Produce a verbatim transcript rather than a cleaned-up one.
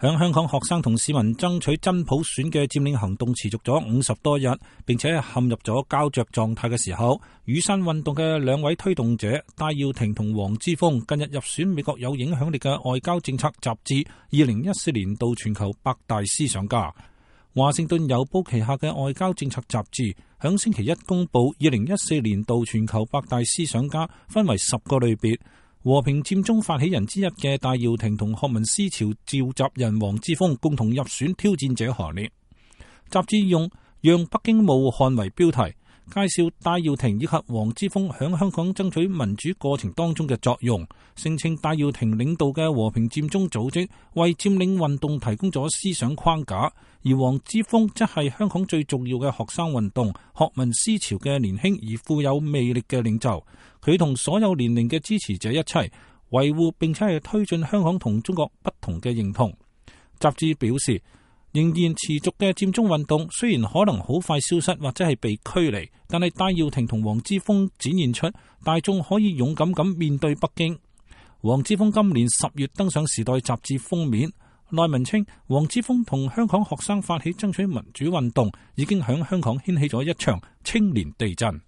響香港學生同市民爭取真普選嘅佔領行動持續咗五十多日，並且陷入咗膠着狀態嘅時候，雨傘運動嘅兩位推動者戴耀廷同黃之鋒近日入選美國有影響力嘅外交政策雜誌二零一四年度全球百大思想家。華盛頓郵報旗下嘅外交政策雜誌響星期一公布二零一四年度全球百大思想家，分為十個類別。和平佔中發起人之一嘅戴耀廷同學民思潮召集人黃之鋒共同入選挑戰者行列。雜誌用讓北京冒汗為標題，介紹戴耀廷以及黃之鋒響香港爭取民主過程當中嘅作用，聲稱戴耀廷領導嘅和平佔中組織為佔領運動提供咗思想框架，而黃之鋒則係香港最重要嘅學生運動學民思潮嘅年輕而富有魅力嘅領袖。佢同所有年齡嘅支持者一齊維護並且係推進香港同中國不同嘅認同。雜誌表示，仍然持續嘅佔中運動雖然可能好快消失或者係被驅離，但係戴耀廷同黃之鋒展現出大眾可以勇敢咁面對北京。黃之鋒今年十月登上《時代》雜誌封面，內文稱黃之鋒同香港學生發起爭取民主運動，已經響香港掀起咗一場青年地震。